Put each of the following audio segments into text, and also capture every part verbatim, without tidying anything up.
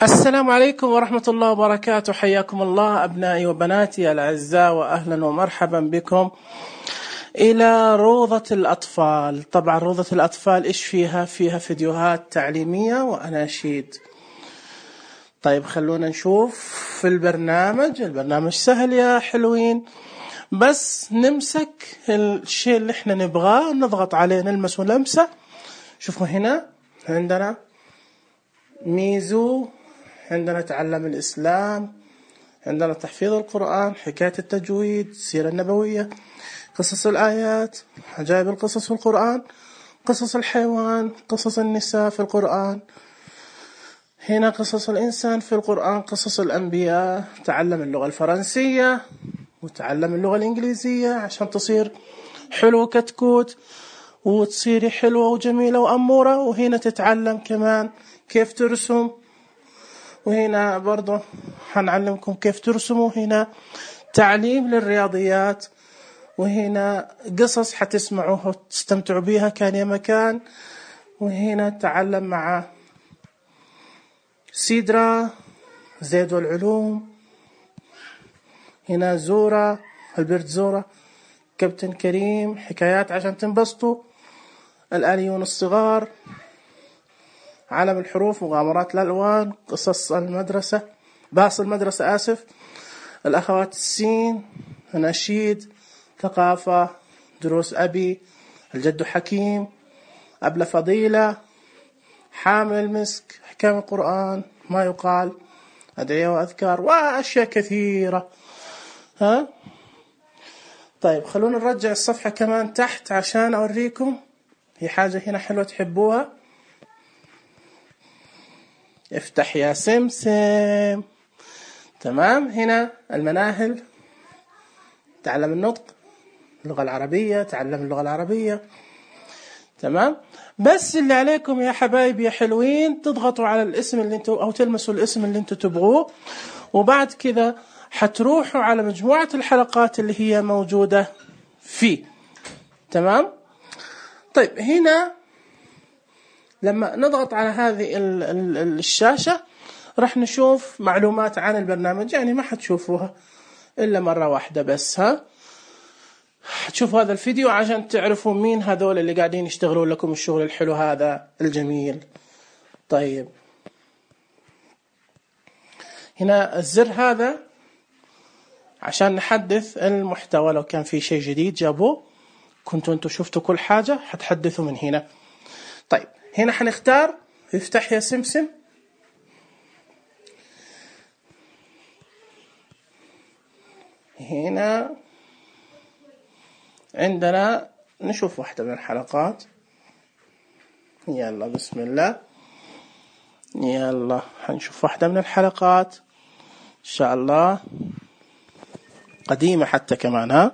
السلام عليكم ورحمة الله وبركاته. حياكم الله أبنائي وبناتي الأعزاء، وأهلا ومرحبا بكم إلى روضة الأطفال. طبعا روضة الأطفال إيش فيها؟ فيها فيديوهات تعليمية وأناشيد. طيب خلونا نشوف في البرنامج. البرنامج سهل يا حلوين، بس نمسك الشيء اللي احنا نبغاه، نضغط عليه، نلمس ولمسة. شوفوا هنا عندنا ميزو، عندنا تعلم الإسلام، عندنا تحفيظ القرآن، حكاية التجويد، السيرة النبوية، قصص الآيات، عجائب القصص في القرآن، قصص الحيوان، قصص النساء في القرآن، هنا قصص الإنسان في القرآن، قصص الأنبياء. تعلم اللغة الفرنسية وتعلم اللغة الإنجليزية عشان تصير حلو كتكوت وتصيري حلوة وجميلة وأمورة. وهنا تتعلم كمان كيف ترسم، وهنا برضو هنعلمكم كيف ترسموا. هنا تعليم للرياضيات، وهنا قصص حتسمعوها وتستمتعوا بيها كان يا مكان. وهنا تعلم مع سيدرا، زيد والعلوم، هنا زورا، البرت زورا، كابتن كريم، حكايات عشان تنبسطوا، الآليون الصغار، عالم الحروف، مغامرات الألوان، قصص المدرسة، باص المدرسة آسف، الأخوات السين، أناشيد، ثقافة، دروس أبي، الجد حكيم، أبلة فضيلة، حامل مسك، حكام القرآن، ما يقال، أدعية وأذكار، وأشياء كثيرة. ها طيب خلونا نرجع الصفحة كمان تحت عشان أوريكم. هي حاجة هنا حلوة تحبوها. افتح يا سمسم. تمام. هنا المناهل، تعلم النطق، اللغة العربية، تعلم اللغة العربية. تمام. بس اللي عليكم يا حبايبي يا حلوين، تضغطوا على الاسم اللي انتوا او تلمسوا الاسم اللي انتوا تبغوه، وبعد كذا حتروحوا على مجموعة الحلقات اللي هي موجودة فيه. تمام. طيب هنا لما نضغط على هذه الشاشة راح نشوف معلومات عن البرنامج، يعني ما حتشوفوها إلا مرة واحدة بس. ها حتشوفوا هذا الفيديو عشان تعرفوا مين هذول اللي قاعدين يشتغلوا لكم الشغل الحلو هذا الجميل. طيب هنا الزر هذا عشان نحدث المحتوى، لو كان في شيء جديد جابوه كنتوا انتوا شفتوا كل حاجة حتحدثوا من هنا. طيب هنا حنختار افتح يا سمسم. هنا عندنا نشوف واحدة من الحلقات. يلا بسم الله. يلا حنشوف واحدة من الحلقات إن شاء الله، قديمة حتى كمان. ها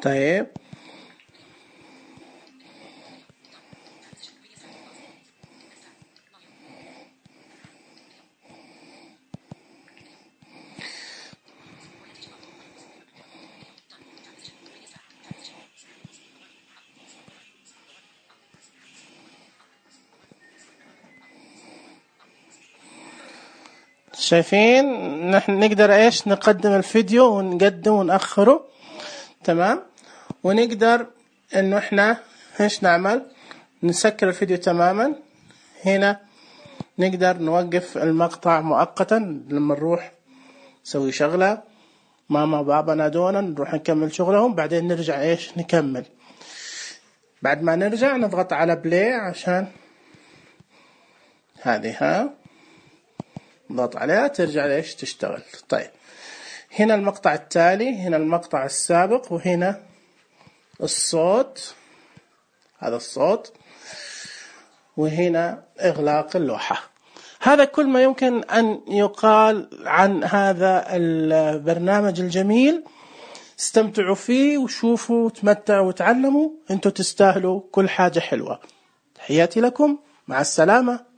طيب شايفين نحن نقدر ايش نقدم الفيديو ونقدم ونأخره. تمام. ونقدر انه احنا ايش نعمل، نسكر الفيديو تماما. هنا نقدر نوقف المقطع مؤقتا لما نروح نسوي شغلة، ماما وبابا نادونا نروح نكمل شغلهم، بعدين نرجع ايش نكمل. بعد ما نرجع نضغط على بلاي عشان هذه ها نضغط عليها ترجع ليش تشتغل. طيب هنا المقطع التالي، هنا المقطع السابق، وهنا الصوت، هذا الصوت، وهنا إغلاق اللوحة. هذا كل ما يمكن أن يقال عن هذا البرنامج الجميل. استمتعوا فيه وشوفوا وتمتعوا وتعلموا، انتوا تستاهلوا كل حاجة حلوة. تحياتي لكم، مع السلامة.